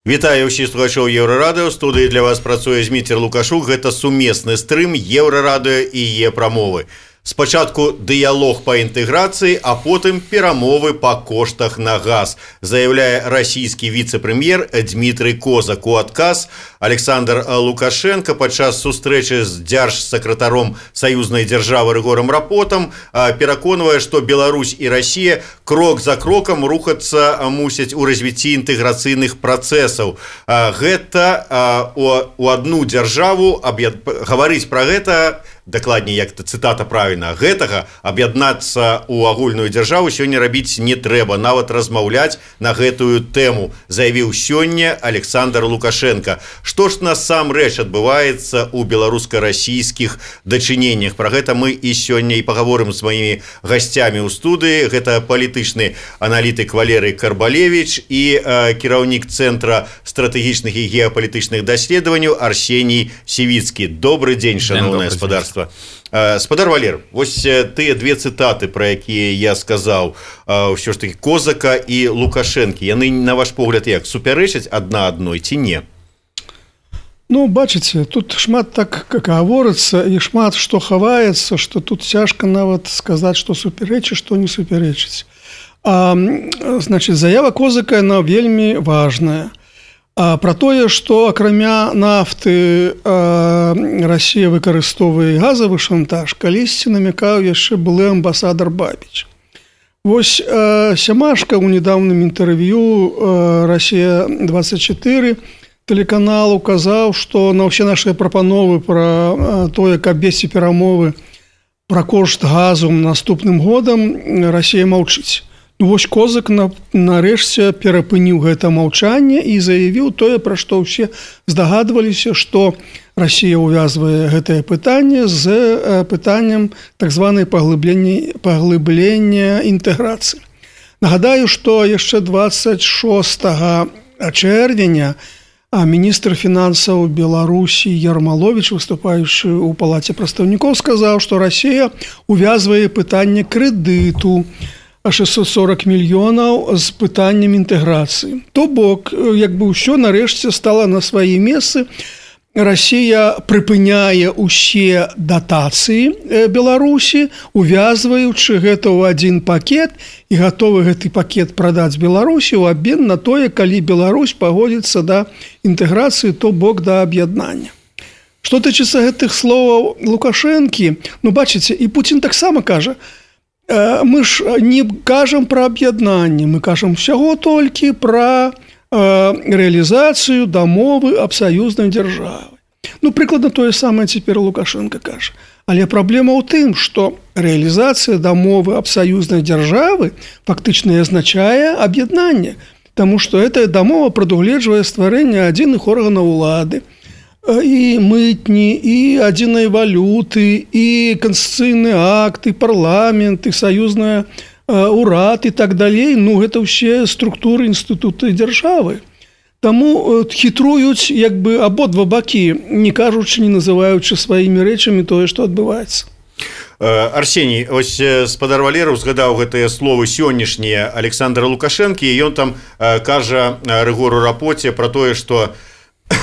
Вітаю ўсіх слухачоў Еўрарадыё. Студыі для вас працуе Зміцер Лукашук. Гэта сумесны стрым Еўрарадыё і Е-прамовы. Спачатку дыялог па інтэграцыі, а потым перамовы па коштах на газ, заяўляе расійскі віцэ-прэм'ер Дмітрый Козак. У адказ Александр Лукашенко падчас сустрэчы з дзяржсакратаром саюзнай дзяржавы Рыгорам Рапотам пераконвае, што Беларусь і Расія крок за крокам рухацца мусяць у развіцці інтэграцыйных працэсаў. Гэта у адну дзяржаву гаварыць пра гэта, дакладней, як цытата правільна, гэтага аб'яднацца ў агульную дзяржаву сёння рабіць не трэба, нават размаўляць на гэтую тэму, заявіў сёння Александр Лукашенко. Што ж насамрэч адбываецца ў беларуска-расійскіх дачыненнях? Пра гэта мы і сёння і пагаворым з маімі гасцямі ў студыі. Гэта палітычны аналітык Валерый Карбалевич і кіраўнік Цэнтра стратэгічных і геапалітычных даследаванняў Арсеній Сівіцкі. Добрый дзень, шановнае гаспадарства. Спадар Валер, вось тыя две цытаты, пра якія я сказаў, ўсё ж таки Козака і Лукашэнкі, яны, на ваш погляд, як супярэчаць адна адной ці не? Ну, бачыце, тут шмат так гаворыцца і шмат што хаваецца, што тут цяжка нават сказаць, што супярэчыць, што не супярэчыць. Значыць, заява Козака, яна вельмі важная. Пра тое, што акрамя нафты Расія выкарыстоўвае газавы шантаж, калісьці намякаў яшчэ былы амбасадар Бабіч. Вось Сямашка ў нядаўным інтэрв'ю Расія-24 тэлеканал указаў, што на ўсе нашыя прапановы пра тое, каб весці перамовы пра кошт газу наступным годам, Расія маўчыць. Вось Козак нарэшце перапыніў гэта маўчанне і заявіў тое, пра што ўсе здагадваліся, што Расія ўвязвае гэтае пытанне з пытаннем так званай паглыблення інтэграцыі. Нагадаю, што яшчэ 26 чэрвеня міністр фінансаў Беларусі Ярмаловіч, выступаючы ў палаце прадстаўнікоў, сказаў, што Расія ўвязвае пытанне крэдыту 640 мільёнаў з пытаннем інтэграцыі. То бок, як бы ўсё нарэшце стала на свае месцы. Расія прыпыняе ўсе датацыі Беларусі, увязваючы гэта ў адзін пакет і гатовы гэты пакет прадаць Беларусі ў абмен на тое, калі Беларусь пагодзіцца да інтэграцыі, то бок да аб'яднання. Што тычыцца гэтых словаў Лукашэнкі, ну бачыце, і Пуцін таксама кажа, мы ж не кажам пра аб'яднанне, мы кажам усяго толькі пра рэалізацыю дамовы аб саюзнай дзяржавы. Ну, прыкладна тое самае цяпер Лукашенко кажа. Але праблема ў тым, што рэалізацыя дамовы аб саюзнай дзяржавы фактычна азначае аб'яднанне, таму што гэтая дамова прадугледжвае стварэнне адзіных органаў улады, і мытні, і адзінай валюты, і канстытуцыйны акт, і парламент, і саюзная урад і так далей. Ну, гэта ўсе структуры інстытуты дзяржавы. Таму хітруюць як бы абодва бакі, не кажучы, не называючы сваімі рэчамі тое, што адбываецца. Арсеній, ось спадар Валеру згадаў гэтыя словы сённяшнія Александра Лукашэнкі, і ён там кажа Рыгору Рапоце пра тое, што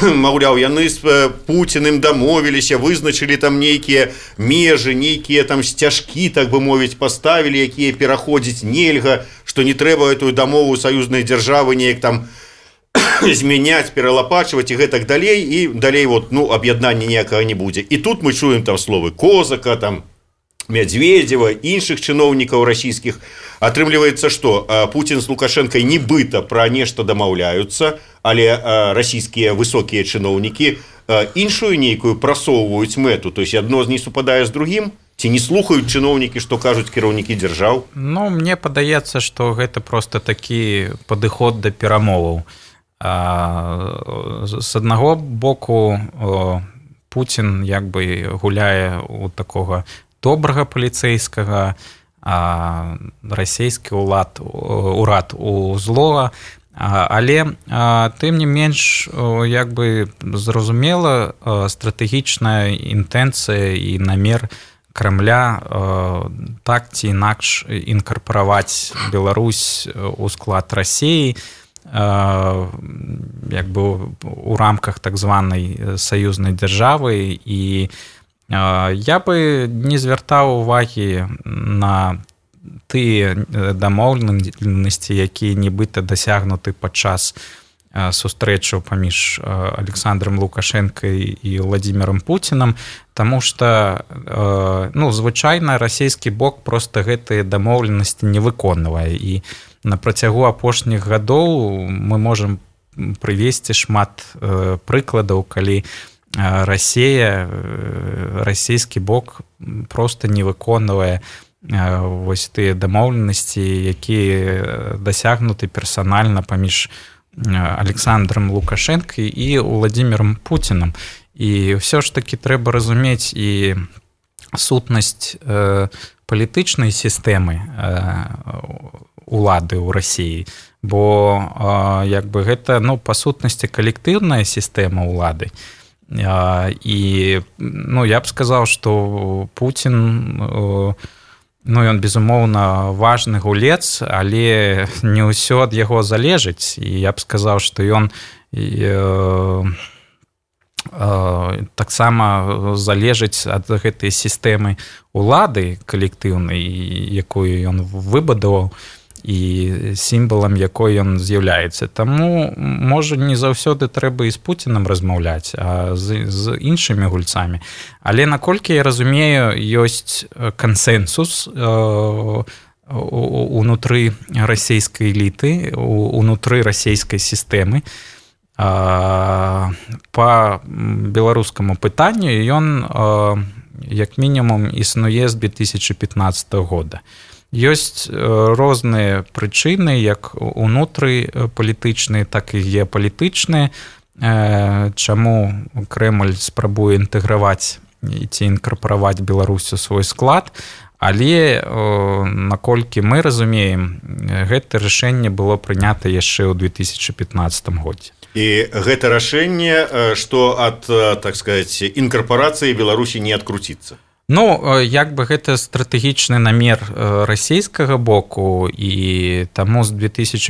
маўляў, яны з Пуціным дамовіліся, вызначылі там нейкія межы, нейкія там сцяжкі, так бы мовіць, паставілі, якія пераходзіць нельга, што не трэба эту дамову саюзнай дзяржавы неяк там змяняць, пералапачваць і гэтак далей, і далей вот, ну, аб'яднання ніякага не будзе. І тут мы чуем там словы Козака, там Медведева, іншых чыноўнікаў расійскіх. Атрымліваецца, што Пуцін з Лукашэнкай нібыта пра нешта дамаўляюцца, але расійскія высокія чыноўнікі іншую нейкую прасоўваюць мэту, то есть адно не супадае з другім, ці не слухаюць чыноўнікі, што кажуць кіраўнікі дзяржаў? Ну, мне падаецца, што гэта проста такі падыход да перамоваў. З аднаго боку Пуцін як бы гуляе у такога добрага паліцэйскага, расійскі урад у злога, але тым не менш як бы зразумела стратэгічная інтэнцыя і намер Кремля так ці інакш інкарпараваць Беларусь у склад Расіі, як бы у рамках так званай саюзнай дзяржавы, і я бы не звяртаў увагі на тыя дамоўленасці, якія нібыта дасягнуты падчас сустрэчаў паміж Александром Лукашенко і Владимиром Путиным, таму што звычайна расійскі бок проста гэтыя дамоўленасці не выконвае, і на працягу апошніх гадоў мы можам прывесці шмат прыкладаў, калі расійскі бок проста не выконвае вось тыя дамоўленасці, якія дасягнуты персанальна паміж Александром Лукашенко і Владимиром Путиным. І ўсё ж таки трэба разумець і сутнасць палітычнай сістэмы улады ў Расіі, бо як бы гэта, па сутнасці, калектыўная сістэма улады. І я б сказаў, што Путін ён, безумоўна, важны гулец, але не ўсё ад яго залежыць. І я б сказаў, што ён таксама залежыць ад гэтай сістэмы улады калектыўнай, якую ён выбудаваў, і сімвалам якой ён з'яўляецца. Таму, можа, не заўсёды трэба і з Пуцінам размаўляць, а з іншымі гульцамі. Але, наколькі я разумею, ёсць кансэнсус унутры расійскай эліты, унутры расійскай сістэмы. Па беларускаму пытанню ён, як мінімум, існуе з 2015 года. Ёсць розныя прычыны, як унутры палітычныя, так і геапалітычныя, чаму Крэмль спрабуе інтэграваць ці інкарпараваць Беларусь у свой склад, але, наколькі мы разумеем, гэта рашэнне было прынята яшчэ ў 2015 годзе. І гэта рашэнне, што ад, так сказаць, інкарпарацыі Беларусі не адкруціцца? Як бы гэта стратэгічны намер расійскага боку, і таму з 2015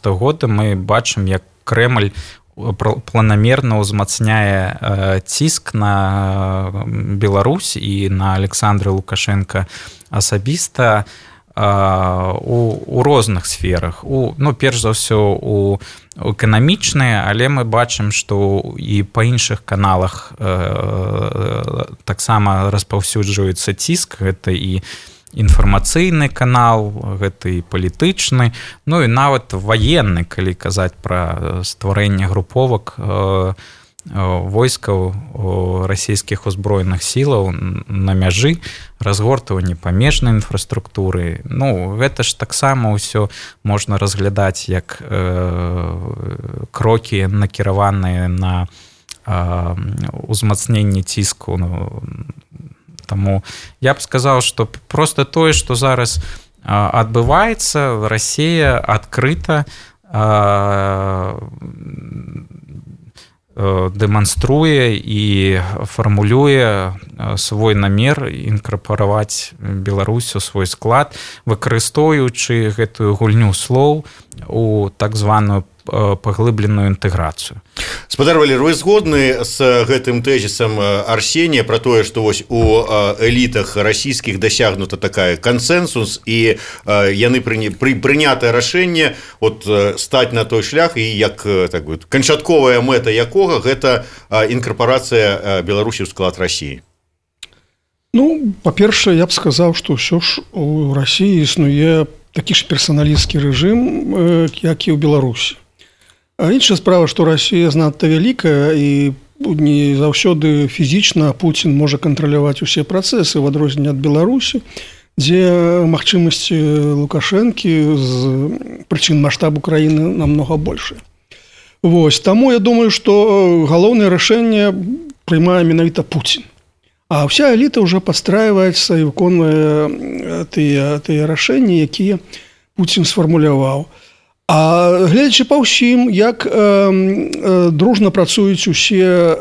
года мы бачым, як Крэмль планамерна ўзмацняе ціск на Беларусь і на Александра Лукашенка асабіста у розных сферах. Перш за ўсё, у эканамічныя, але мы бачым, што і па іншых каналах таксама распаўсюджваецца ціск. Гэта і інфармацыйны канал, гэта і палітычны, і нават ваенны, калі казаць пра стварэнне груповак войскаў расійскіх узброеных сілаў на мяжы, разгортванне памежнай інфраструктуры. Гэта ж таксама ўсё можна разглядаць як крокі, накіраваныя на ўзмацненне ціску. Таму я б сказаў, што проста тое, што зараз адбываецца, Расія адкрыта дэманструе і фармулюе свой намер інкарпараваць Беларусь у свой склад, выкарыстоўваючы гэтую гульню слоў у так званую паглыбленую інтэграцыю. Спадар Валер, вы згодны з гэтым тэзісам Арсенія пра тое, што вось у элітах расійскіх дасягнута такая кансэнсус, і яны прынятае рашэнне стаць на той шлях, і як канчатковая мэта якога гэта інкарпарацыя Беларусі ў склад Расіі? Па-першае, я б сказаў, што ўсё ж у Расіі існуе такі ж персаналісцкі рэжым, як і ў Беларусі. Іншая справа, што Расія занадта вялікая, і не заўсёды фізічна Пуцін можа кантраляваць усе працэсы, в адрозненне ад Беларусі, дзе магчымасці Лукашэнкі з прычын маштабу краіны намнога большыя. Таму я думаю, што галоўнае рашэнне прымае менавіта Пуцін. А ўся эліта ўжо падстрайваецца і выконвае тыя рашэнні, якія Пуцін сфармуляваў. А гледзячы па ўсім, як дружна працуюць усе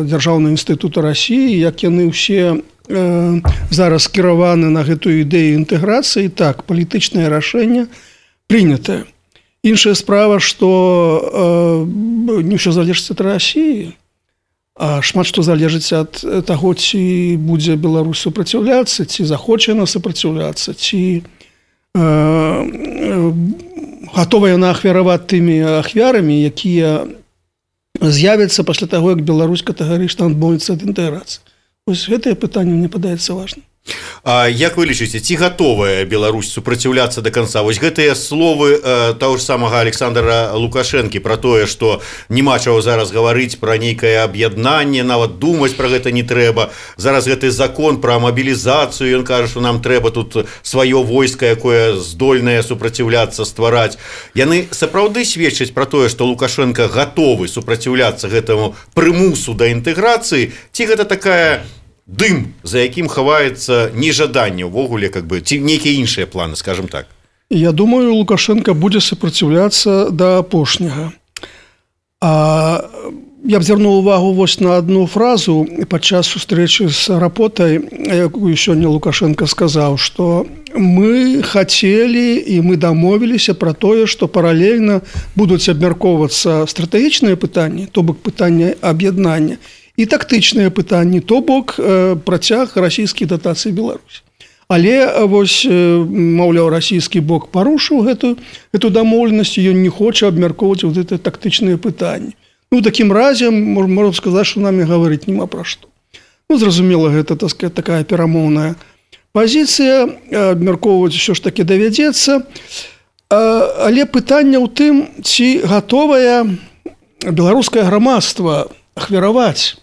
дзяржаўныя інстытуты Расіі, як яны ўсе зараз скіраваны на гэтую ідэю інтэграцыі, так, палітычнае рашэнне прынятае. Іншая справа, што не ўсё залежыць ад Расіі, а шмат што залежыць ад таго, ці будзе Беларусь супраціўляцца, ці захоча яна супраціўляцца, ці гатовая яна ахвяраваць тымі ахвярамі, якія з'явяцца пасля таго, як Беларусь катэгарычна адмовіцца ад інтэграцыі. Вось гэтае пытанне мне падаецца важным. А як вы лічыце, ці гатовая Беларусь супраціўляцца да канца? Вось гэтыя словы таго ж самага Александра Лукашэнкі пра тое, што няма чаго зараз гаварыць пра нейкае аб'яднанне, нават думаць пра гэта не трэба. Зараз гэты закон пра мабілізацыю, ён кажа, што нам трэба тут сваё войска, якое здольнае супраціўляцца ствараць. Яны сапраўды сведчаць пра тое, што Лукашенко гатовы супраціўляцца гэтаму прымусу да інтэграцыі, ці гэта такая дым, за якім хаваецца нежаданне ўвогуле, ці нейкія іншыя планы, скажем так? Я думаю, Лукашенко будзе супраціўляцца да апошняга. Я б звярнуў увагу вось на адну фразу падчас сустрэчы з Рапотай, якую сёння Лукашенко сказаў, што мы хацелі і мы дамовіліся пра тое, што паралельна будуць абмяркоўвацца стратэгічныя пытанні, то бок пытанне аб'яднання, і тактычныя пытанні, то бок працяг расійскіх датацый Беларусі. Але вось, маўляў, расійскі бок парушыў гэту дамоўленасць, ён не хоча абмяркоўваць вот гэтыя тактычныя пытанні. Ну, такім разе, можна сказаць, што нам і гаварыць няма пра што. Ну, зразумела, гэта, так сказать, такая перамоўная пазіцыя, абмяркоўваць усё ж такі давядзецца. Але пытанне ў тым, ці гатовае беларускае грамадства ахвяраваць.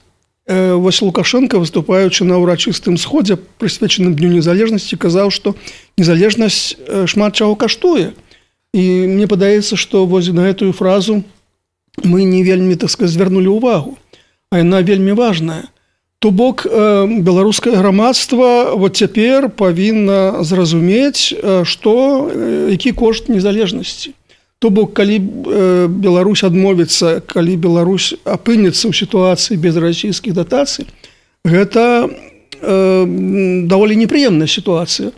Вось Лукашенко, выступаючы на ўрачыстым сходзе, прысвечаным Дню незалежнасці, казаў, што незалежнасць шмат чаго каштуе. І мне падаецца, што вось на гэтую фразу мы не вельмі, так сказаць, звярнулі ўвагу, а яна вельмі важная. То бок беларускае грамадства вот цяпер павінна зразумець, што які кошт незалежнасці. То бок, калі Беларусь адмовіцца, калі Беларусь апынецца ў сітуацыі без расійскіх датацый, гэта даволі непрыемная сітуацыя.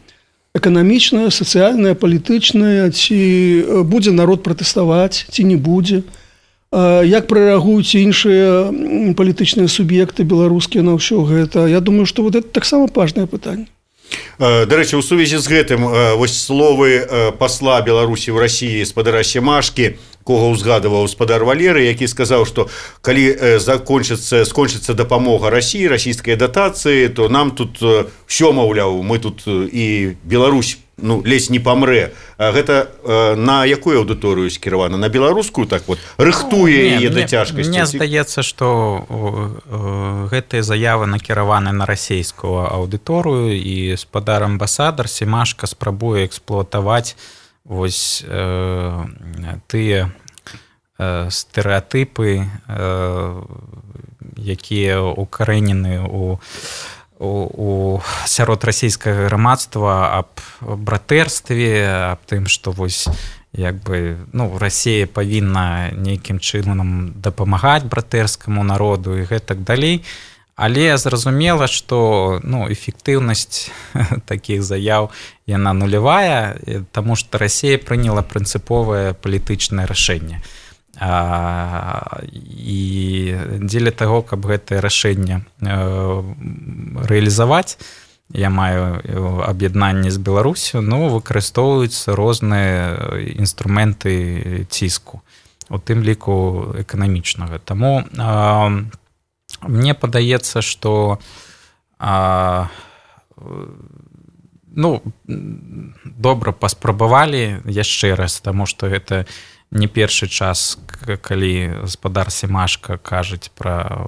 Эканамічная, сацыяльная, палітычная, ці будзе народ пратэставаць, ці не будзе. Як прарэагуюць іншыя палітычныя суб'екты беларускія на ўсё гэта. Я думаю, што вот это таксама важнае пытанне. Дарэчы, у сувязі з гэтым вось словы пасла Беларусі ў Расіі спадара Семашкі, кого узгадываў спадар Валеры, які сказаў, што калі скончыцца дапамога Расіі, расійскай датацыі, то нам тут ўсё, маўляў, мы тут і Беларусь ледзь не памрэ. Гэта на якую аўдыторыю скіравана? На беларускую, так вот, рыхтуе яе да цяжкасці? Мне здаецца, што гэтыя заявы накіраваны на расійскую аўдыторыю, і спадар амбасадар Семашка спрабуе эксплуатаваць вось тыя стэрэатыпы, якія укарэнены сярод расійскага грамадства аб братэрстве, аб тым, што вось Расія павінна нейкім чынам дапамагаць братэрскаму народу і гэтак далей. Але зразумела, што эфектыўнасць такіх заяў яна нулявая, таму што Расія прыняла прынцыповае палітычнае рашэнне. І дзеля таго, каб гэтае рашэнне рэалізаваць, я маю аб'яднанне з Беларусю, выкарыстоўваюцца розныя інструменты ціску, у тым ліку эканамічнага. Таму мне падаецца, што добра паспрабавалі яшчэ раз, таму што гэта не першы час, калі спадар Семашка кажуць пра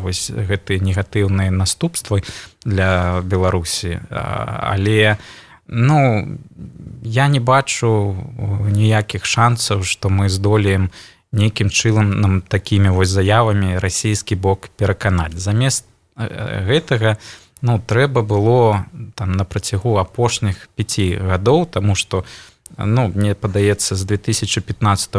вось гэтыя негатыўныя наступствы для Беларусі. Але я не бачу ніякіх шансаў, што мы здолеем нейкім чынам такімі вось заявамі расійскі бок пераканаць. Замест гэтага трэба было на працягу апошніх 5 гадоў, таму што мне падаецца, з 2015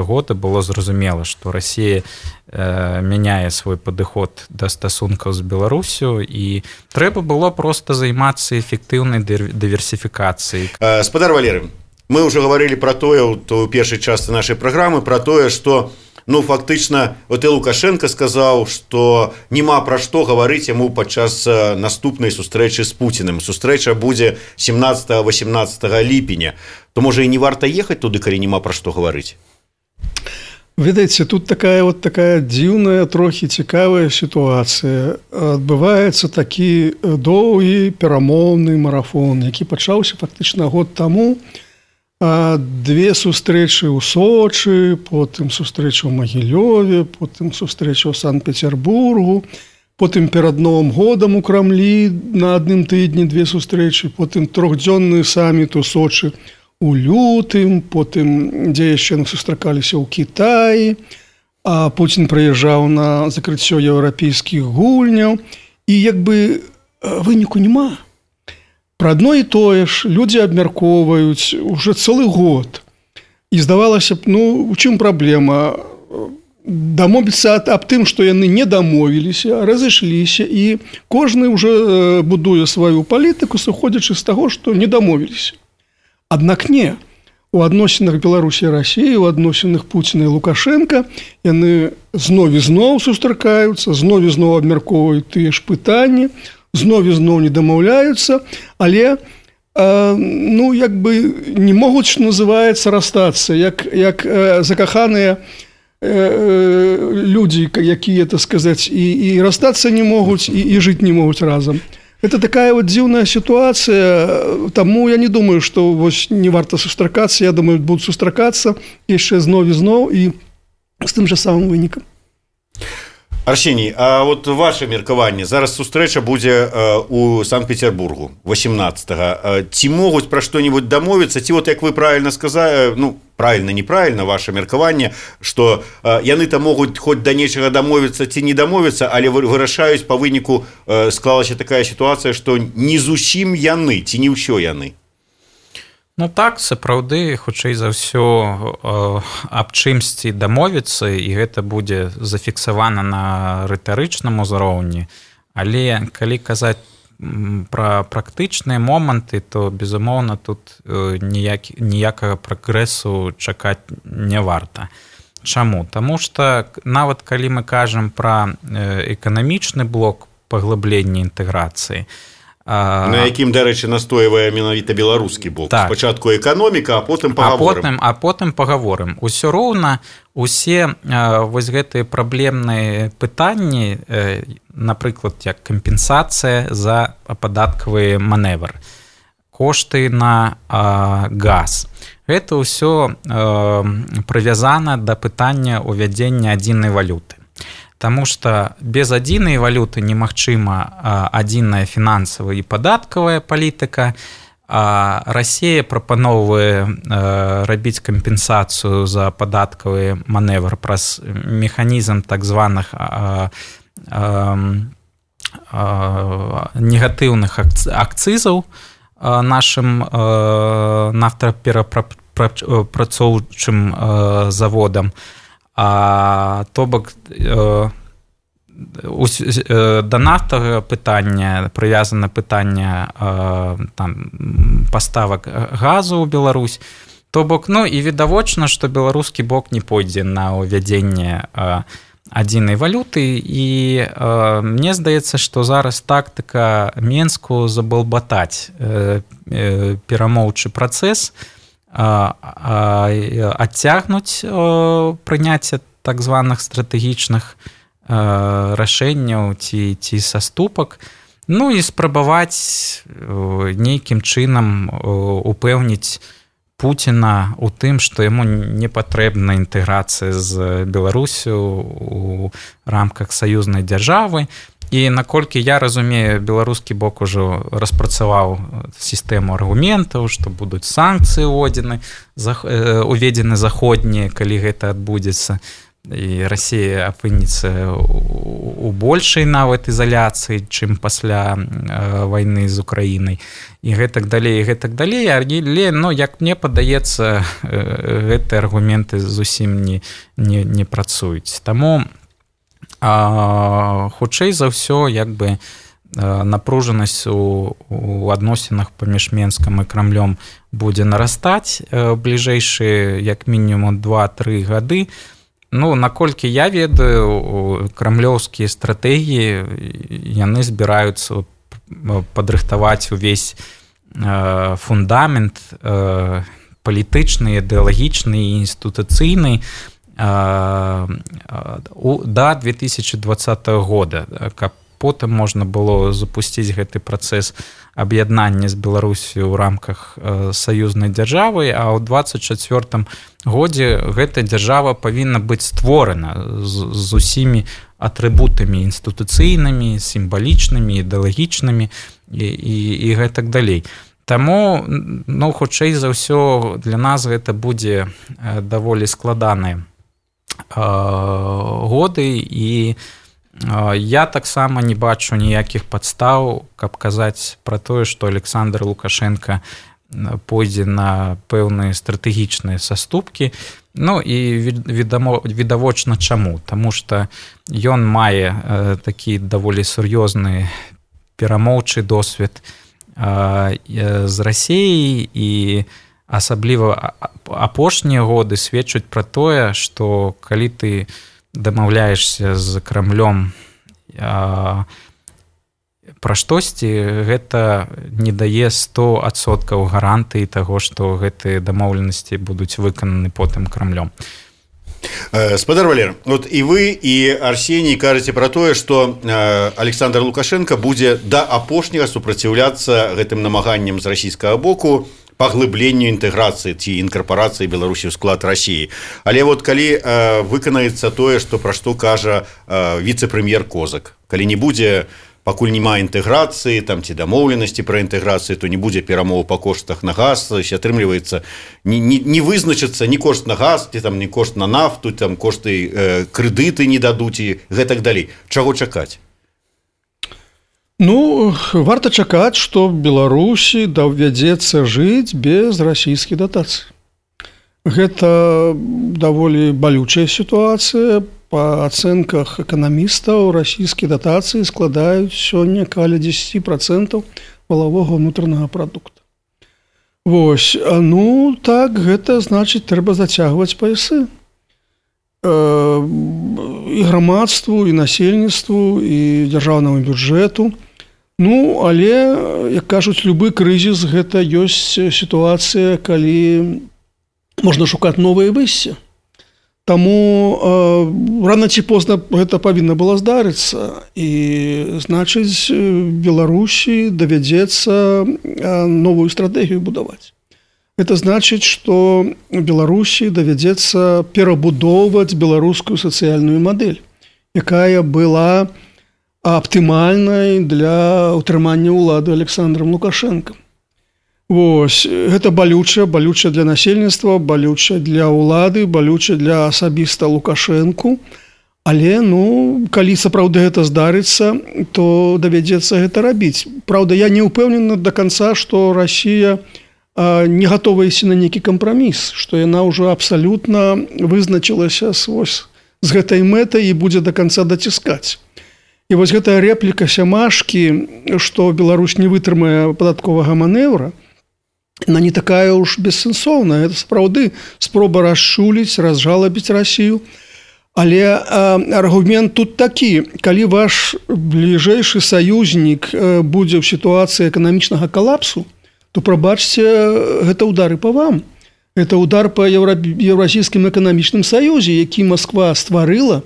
года было зразумела, што Расія мяняе свой падыход да стасункаў з Беларусю, і трэба было проста займацца эфектыўнай дыверсіфікацыяй. Спадар Валеры, мы уже говорили про тое у першай частцы нашай праграмы, про тое, што фактычна вот і Лукашенко сказаў, што няма пра што гаварыць яму падчас наступнай сустрэчы з Пуціным. Сустрэча будзе 17-18 ліпеня. То можа і не варта ехаць туды, калі няма пра што гаварыць. Ведаеце, тут такая дзіўная, трохі цікавая сітуацыя. Адбываецца такі доўгі перамоўны марафон, які пачаўся фактычна год таму. 2 сустрэчы ў Сочы, потым сустрэча ў Магілёве, потым сустрэча ў Санкт-Петербургу, потым перад Новым годам у Крамлі на адным тыдні 2 сустрэчы, потым 3-дзённы саміт у Сочы у лютым, потым, дзе яшчэ сустракаліся ў Кітаі, а Пуцін прыязджаў на закрыццё еўрапейскіх гульняў, і выніку няма. Пра адно і тое ж людзі абмяркоўваюць уже цэлы год. І здавалася б, у чым праблема? Дамовіцца аб тым, што яны не дамовіліся, разышліся, і кожны ўжо будуе сваю палітыку, сыходзячы з таго, што не дамовіліся. Аднак не. У адносінах Беларусі і Расіі, у адносінах Пуціна і Лукашенка яны зноў і зноў сустракаюцца, зноў і зноў абмяркоўваюць тыя ж пытанні, зноў і зноў не дамаўляюцца, але не могуць, што называецца, расстацца, як закаханыя людзі, якія, так сказаць, і расстацца не могуць, і жыць не могуць разам. Это такая дзіўная сітуацыя, таму я не думаю, што не варта сустракацца, я думаю, будуць сустракацца яшчэ зноў і зноў і з тым жа самым вынікам. Арсеній, а вот ваше меркаванне, зараз сустрэча будзе у Санкт-Петербургу 18-го. Ці могуць пра што-нибудь дамовіцца, ці вот як вы правильно сказали, правильно, неправильно ваше меркаванне, што яны там могуць хоць да нечага дамовіцца ці не дамовіцца, але вырашаюць па выніку, склалася такая сітуацыя, што не зусім яны, ці не ўсё яны. Так, сапраўды, хутчэй за ўсё аб чымсьці дамовіцца, і гэта будзе зафіксавана на рытарычным узроўні. Але калі казаць пра практычныя моманты, то, безумоўна, тут ніякага прагрэсу чакаць не варта. Чаму? Таму што нават калі мы кажам пра эканамічны блок паглыблення інтэграцыі, на якім, дарэчы, настойвае менавіта беларускі бок. Так. Спачатку эканоміка, а потым пагаворым. А потым пагаворым. Усё роўна усе вось гэтыя праблемныя пытанні, напрыклад, як кампенсацыя за падаткавы маневр, кошты на газ. Гэта ўсё прывязана да пытання ўвядзення адзінай валюты. Таму што без адзінай валюты немагчыма адзіная фінансавая і падаткавая палітыка. Расія прапаноўвае рабіць кампенсацыю за падаткавы маневр праз механізм так званых негатыўных акцызаў нашым нафтаперапрацоўчым заводам. То бок да нафтавага пытання прывязана пытанне паставак газу ў Беларусь. То бок, і відавочна, што беларускі бок не пойдзе на ўвядзенне адзінай валюты, і мне здаецца, што зараз тактыка Менску забалбатаць перамоўчы працэс, адцягнуць прыняцце так званых стратэгічных рашэнняў ці саступак, і спрабаваць нейкім чынам упэўніць Пуціна у тым, што яму не патрэбна інтэграцыя з Беларусю у рамках саюзнай дзяржавы. І наколькі я разумею, беларускі бок ужо распрацаваў сістэму аргументаў, што будуць санкцыі уведзены заходнія, калі гэта адбудзецца, і Расія апынецца у большай нават ізаляцыі, чым пасля вайны з Украінай, і гэтак далей, але, як мне падаецца, гэтыя аргументы зусім не працуюць. Таму хутчэй за ўсё, напружанасць у адносінах паміж Менскам і Крамлём будзе нарастаць бліжэйшыя як мінімум 2-3 гады. Ну, наколькі я ведаю, крамлёўскія стратэгіі, яны збіраюцца падрыхтаваць увесь фундамент палітычны, ідэалагічны і інстытуцыйны да 2020 года, каб потым можна было запусціць гэты працэс аб'яднання з Беларусію ў рамках саюзнай дзяржавы, а ў 2024 годзе гэта дзяржава павінна быць створана з усімі атрыбутамі інстытуцыйнымі, сімвалічнымі, ідэалагічнымі і гэтак далей. Таму, ну, хутчэй за ўсё, для нас гэта будзе даволі складаныя годы, і я таксама не бачу ніякіх падстаў, каб казаць пра тое, што Александр Лукашенко пойдзе на пэўныя стратэгічныя саступкі. Ну і відавочна чаму, таму што ён мае такі даволі сур'ёзны перамоўчы досвед з Расіяй, і асабліва апошнія годы сведчаць пра тое, што калі ты дамаўляешся з Крамлём пра штосьці, гэта не дае 100% гарантыі таго, што гэтыя дамоўленасці будуць выкананы потым Крамлём. Спадар Валер, вот і вы, і Арсеній кажаце пра тое, што Александр Лукашенко будзе да апошняга супраціўляцца гэтым намаганням з расійскага боку паглыбленню інтэграцыі ці інкарпорацыі Беларусі ў склад Расіі. Але вот калі выканаецца тое, што пра што кажа віцэ-прэм'ер Козак, калі не будзе, пакуль няма інтэграцыі, там ці дамоўленасці пра інтэграцыю, то не будзе перамоў па коштах на газ, атрымліваецца, не вызначыцца ні кошт на газ, ці там ні кошт на нафту, там кошты крэдыты не дадуць і гэтак далей. Чаго чакаць? Ну, варта чакаць, што Беларусі давядзецца жыць без расійскіх датацый. Гэта даволі балючая сітуацыя. Па ацэнках эканамістаў, расійскія датацыі складаюць сёння каля 10% валавога ўнутранага прадукта. Вось, ну так, гэта значыць, трэба зацягваць паясы. І грамадству, і насельніцтву, і дзяржаўнаму бюджэту. Ну, але, як кажуць, любы крызіс – гэта ёсць сітуацыя, калі можна шукаць новыя выйсці. Таму рана ці позна гэта павінна было здарыцца. І, значыць, Беларусі давядзецца новую стратэгію будаваць. Гэта значыць, што Беларусі давядзецца перабудоўваць беларускую сацыяльную мадэль, якая была аптымальнай для ўтрымання ўлады Александром Лукашенко. Вось, гэта балюча для насельніцтва, балюча для ўлады, балюча для асабіста Лукашенку. Але, ну, калі сапраўды гэта здарыцца, то давядзецца гэта рабіць. Праўда, я не ўпэўнены да канца, што Расія не гатова ісці на нейкі кампраміс, што яна ўжо абсалютна вызначылася з гэтай мэтай і будзе да канца даціскаць. І вось гэтая рэпліка Сямашкі, што Беларусь не вытрымае падатковага манеўра, она не такая уж бессэнсоўная. Это сапраўды спроба расчуліць, разжалабіць Расію. Але аргумент тут такі: калі ваш бліжэйшы саюзнік будзе ў сітуацыі эканамічнага калапсу, то, прабачце, гэта удары па вам. Это удар па Еўрасійскім эканамічным саюзе, які Масква стварыла,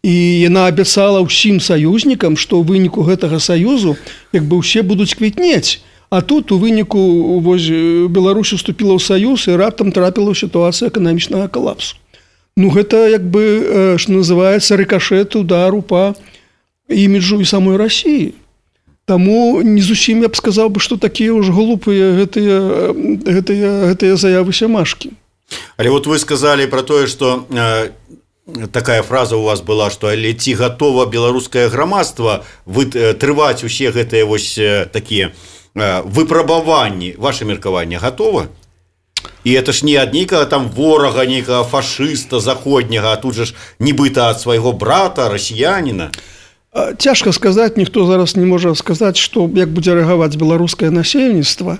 і яна абяцала ўсім саюзнікам, што ў выніку гэтага саюзу як бы ўсе будуць квітнець. А тут у выніку Беларусь уступіла ў саюз і раптам трапіла ў сітуацыю эканамічнага калапсу. Ну, гэта, як бы, што называецца, рыкашэт, удару па іміджу і самой Расіі. Таму не зусім я б сказаў бы, што такія ўж глупыя гэтыя заявы Сямашкі. Але вот вы сказалі пра тое, што такая фраза у вас была, што але ці гатова беларускае грамадства трываць усе гэтыя вось такія выпрабаванні, ваше меркаванне гатова? І это ж не ад нейкага там ворага, нейкага фашыста заходняга, а тут же ж нібыта ад свайго брата, расіяніна. Цяжка сказаць, ніхто зараз не можа сказаць, што як будзе рэагаваць беларускае насельніцтва,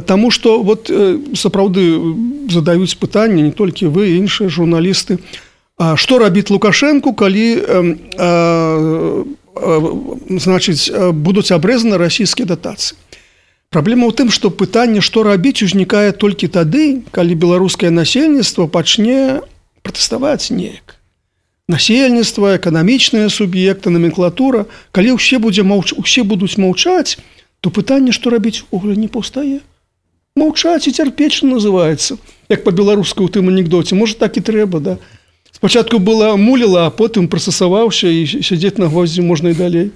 таму што вот сапраўды задаюць пытанне не толькі вы, іншыя журналісты, што рабіць Лукашэнку, калі значыць будуць абрэзаны расійскія датацыі. Праблема ў тым, што пытанне, што рабіць, узнікае толькі тады, калі беларускае насельніцтва пачне пратэставаць неяк. Насельніцтва, эканамічныя суб'екты, номенклатура, калі ўсе будуць маўчаць, то пытанне, што рабіць, увогуле не паўстае. Маўчаць і цярпець, што называецца, як па-беларуску ў тым анекдоце, можа так і трэба, да. Спачатку была муліла, а потым прасасаваўся і сядзець на гвоздзі можна і далей.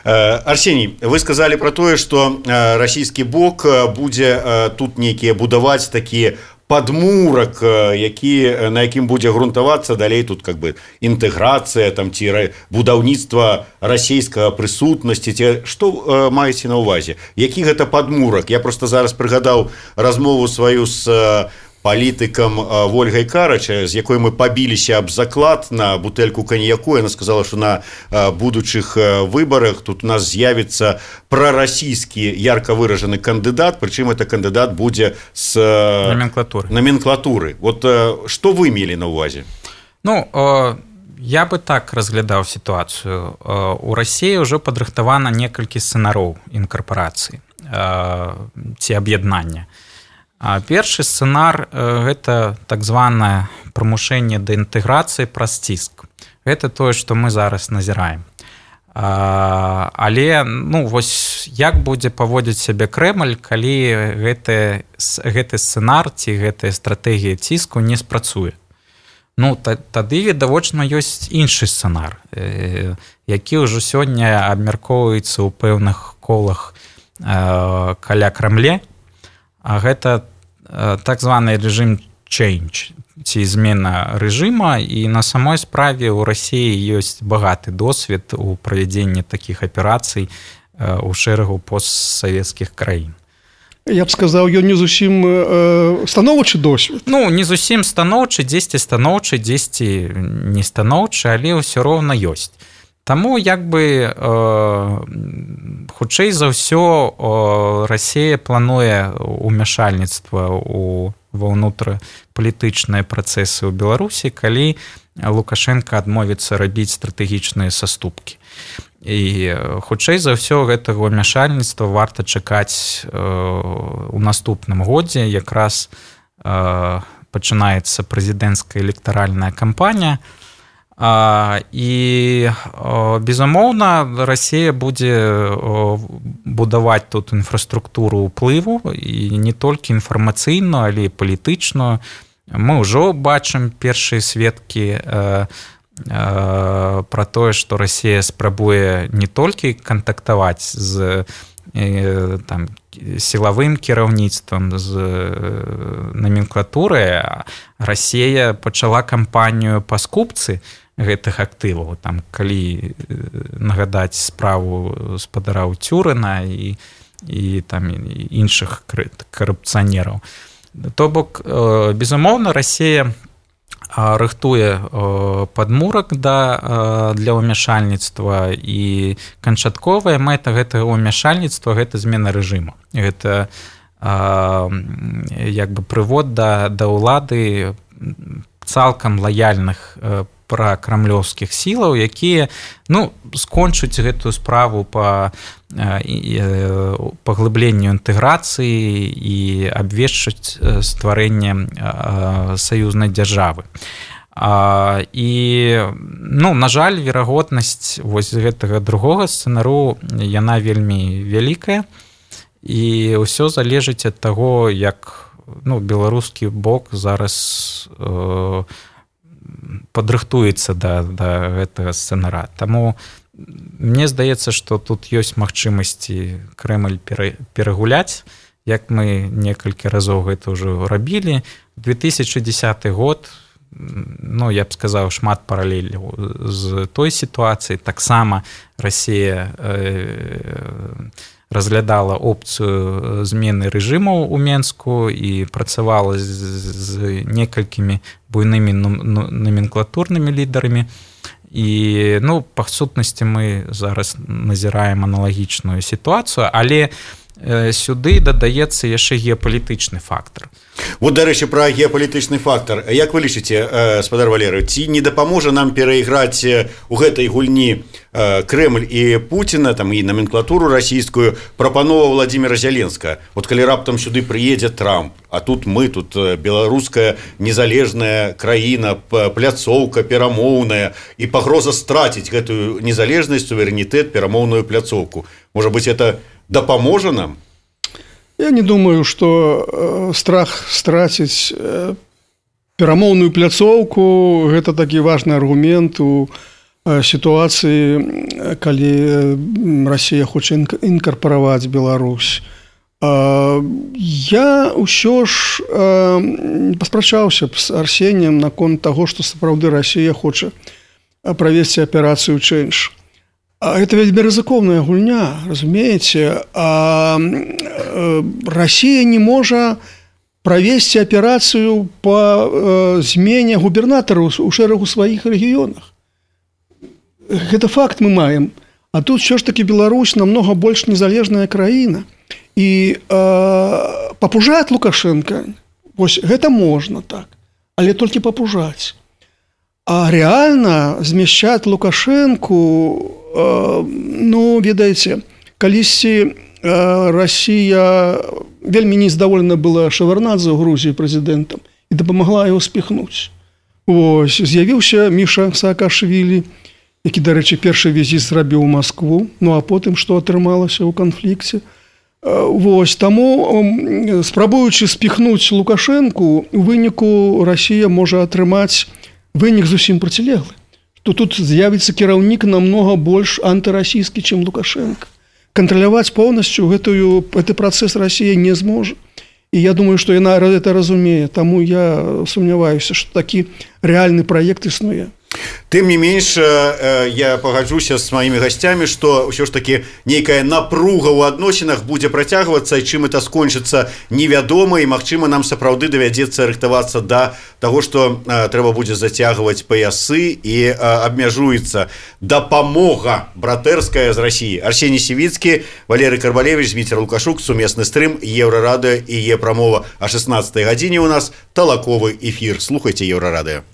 Арсеній, вы сказалі пра тое, што расійскі бок будзе тут нейкія будаваць такія падмурак, на якім будзе грунтавацца далей тут как бы інтэграцыя там ці будаўніцтва расійскага прысутнасці, ці што маеце на ўвазе? Які гэта падмурак? Я просто зараз прыгадаў размову сваю з палітыкам Вольгай Карача, з якой мы пабіліся аб заклад на бутэльку каньяку. Яна сказала, што на будучых выбарах тут у нас з'явіцца прарасійскі ярка выражаны кандыдат, прычым это кандыдат будзе з номенклатуры. Вот што вы мелі на ўвазе? Ну, я бы так разглядаў сітуацыю. У Расіі ўжо падрыхтавана некалькі сцэнароў інкарпорацыі ці аб'яднання. Першы сцэнар – гэта так званае прымушэнне да інтэграцыі праз ціск. Гэта тое, што мы зараз назіраем. Але вось як будзе паводзіць сябе Крэмль, калі гэты сцэнар ці гэтая стратэгія ціску не спрацуе? Тады відавочна ёсць іншы сцэнар, які ўжо сёння абмяркоўваецца ў пэўных колах каля Крамле, а гэта так званы рэжым change, ці змена рэжыма, і на самой справе ў Расіі ёсць багаты досвед у правядзенні такіх аперацый у шэрагу постсавецкіх краін. Я б сказаў, ён не зусім станоўчы досвед. Не зусім станоўчы, дзесьці станоўчы, дзесьці не станоўчы, але ўсё роўна ёсць. Таму хутчэй за ўсё Расія плануе ўмяшальніцтва ва ўнутрапалітычныя працэсы ў Беларусі, калі Лукашенко адмовіцца рабіць стратэгічныя саступкі. І хутчэй за ўсё гэтага ўмяшальніцтва варта чакаць у наступным годзе. Якраз пачынаецца прэзідэнцкая электаральная кампанія. І, безумоўна, Расія будзе будаваць тут інфраструктуру ўплыву, і не толькі інфармацыйную, але і палітычную. Мы ўжо бачым першыя сведкі пра тое, што Расія спрабуе не толькі кантактаваць з сілавым кіраўніцтвам, з номенклатурай, Расія пачала кампанію па скупцы гэтых актываў, калі нагадаць справу спадара Цюрына і іншых карупцыянераў. То бок, безумоўна, Расія рыхтуе падмурак для ўмяшальніцтва, і канчатковая мэта гэтага ўмяшальніцтва – гэта змена рэжыму. Гэта прывод да ўлады цалкам лаяльных пракрамлёўскіх сілаў, якія скончуць гэтую справу па паглыбленню інтэграцыі і абвешчаць стварэнне саюзнай дзяржавы. І, на жаль, верагоднасць вось гэтага другога сцэнару, яна вельмі вялікая, і ўсё залежыць ад таго, як беларускі бок зараз падрыхтуецца да гэтага сцэнара. Таму мне здаецца, што тут ёсць магчымасці Крэмль перагуляць, як мы некалькі разоў гэта ўжо рабілі. 2010 год, я б сказаў, шмат паралеляў з той сітуацыяй. Таксама Расія разглядала опцыю змены рэжыму ў Менску і працавала з некалькімі буйнымі номенклатурнымі лідарамі. і па сутнасці мы зараз назіраем аналагічную сітуацыю, але сюды дадаецца яшчэ геапалітычны фактар. Вот, дарэчы, пра геапалітычны фактар. Як вы лічыце, спадар Валерый, ці не дапаможа нам перайграць у гэтай гульні Крэмль і Пуціна, там і номенклатуру расійскую, прапанова Владзіміра Зяленскага? Вот калі раптам сюды прыедзе Трамп, а тут мы, тут беларуская незалежная краіна, пляцоўка перамоўная, і пагроза страціць гэтую незалежнасць, суверэнітэт, перамоўную пляцоўку. Можа быць, это дапаможа нам? Я не думаю, что страх страціць перамоўную пляцоўку – гэта такі важны аргумент у сітуацыі, калі Расія хоча інкарпараваць Беларусь. Я ўсё ж паспрачаўся б з Арсеніем наконт таго, што сапраўды Расія хоча правесці аперацыю «Чэндж». Это вельмі рызыкоўная гульня, разумееце. Расія не можа правесці аперацыю па змене губернатараў у шэрагу сваіх рэгіёнах. Гэта факт мы маем. А тут ўсё ж такі Беларусь намнога больш незалежная краіна. І папужаць Лукашенка, вось гэта можна так, але толькі папужаць. А рэальна змяшчаць Лукашенку, ведаеце, калісьці Расія вельмі нездаволена была Шаварнадзе ў Грузіі прэзідэнтам і дапамагла яго спіхнуць. Вось, з'явіўся Міша Саакашвілі, які, дарэчы, першы візіт зрабіў у Маскву, а потым што атрымалася ў канфлікце. Вось, таму, спрабуючы спіхнуць Лукашенку, у выніку Расія можа атрымаць вынік зусім процілеглы. То тут з'явіцца кіраўнік намнога больш антырасійскі, чым Лукашенко. Кантраляваць поўнасцю гэты працэс Расія не зможа. І я думаю, што яна гэта разумее. Таму я сумняваюся, што такі рэальны праект існуе. Тым не менш, я пагаджуся з маімі гасцямі, што ўсё ж такі нейкая напруга ў адносінах будзе працягвацца, і чым это скончыцца, невядома, і, магчыма, нам сапраўды давядзецца рыхтавацца да таго, што трэба будзе зацягваць паясы, і абмяжуецца дапамога братэрская з Расіі. Арсеній Сівіцкі, Валерый Карбалевіч, Зміцер Лукашук, сумесны стрым, Еўрарадыё і Е-прамова. А 16 гадзіне у нас талаковы эфір. Слухайце Еўрарадыё.